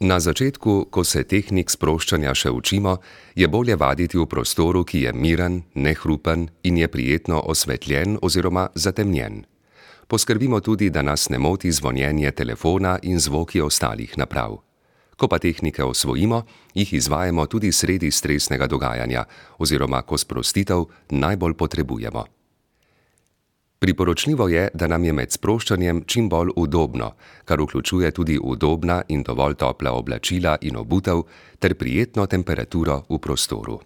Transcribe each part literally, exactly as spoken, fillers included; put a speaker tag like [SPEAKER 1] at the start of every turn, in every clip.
[SPEAKER 1] Na začetku, ko se tehnik sproščanja še učimo, je bolje vaditi v prostoru, ki je miren, nehrupen in je prijetno osvetljen oziroma zatemnjen. Poskrbimo tudi, da nas ne moti zvonjenje telefona in zvoki ostalih naprav. Ko pa tehnike osvojimo, jih izvajamo tudi sredi stresnega dogajanja oziroma ko sprostitev najbolj potrebujemo. Priporočljivo je, da nam je med sproščanjem čim bolj udobno, kar vključuje tudi udobna in dovolj topla oblačila in obutev ter prijetno temperaturo v prostoru.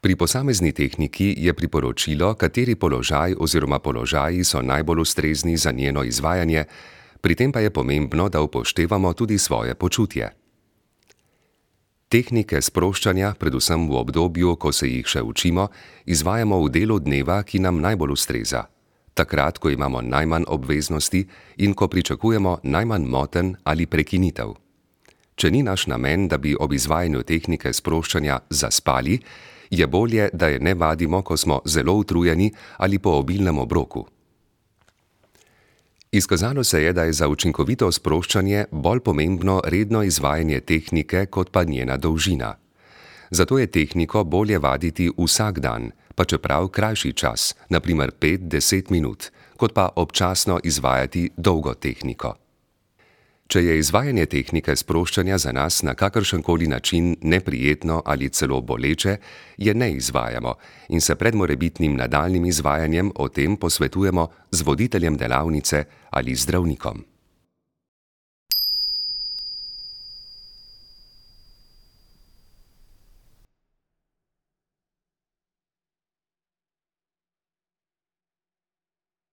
[SPEAKER 1] Pri posamezni tehniki je priporočilo, kateri položaj oziroma položaji so najbolj ustrezni za njeno izvajanje, pri tem pa je pomembno, da upoštevamo tudi svoje počutje. Tehnike sproščanja, predvsem v obdobju, ko se jih še učimo, izvajamo v delu dneva, ki nam najbolj ustreza. Takrat, ko imamo najmanj obveznosti in ko pričakujemo najmanj motenj ali prekinitev. Če ni naš namen, da bi ob izvajanju tehnike sproščanja zaspali, je bolje, da je ne vadimo, ko smo zelo utrujeni ali po obilnem obroku. Izkazalo se je, da je za učinkovito sproščanje bolj pomembno redno izvajanje tehnike kot pa njena dolžina. Zato je tehniko bolje vaditi vsak dan, pa čeprav krajši čas, na primer pet do deset minut, kot pa občasno izvajati dolgo tehniko. Če je izvajanje tehnike sproščanja za nas na kakršenkoli način neprijetno ali celo boleče, je ne izvajamo in se pred morebitnim nadaljnjim izvajanjem o tem posvetujemo z voditeljem delavnice ali zdravnikom.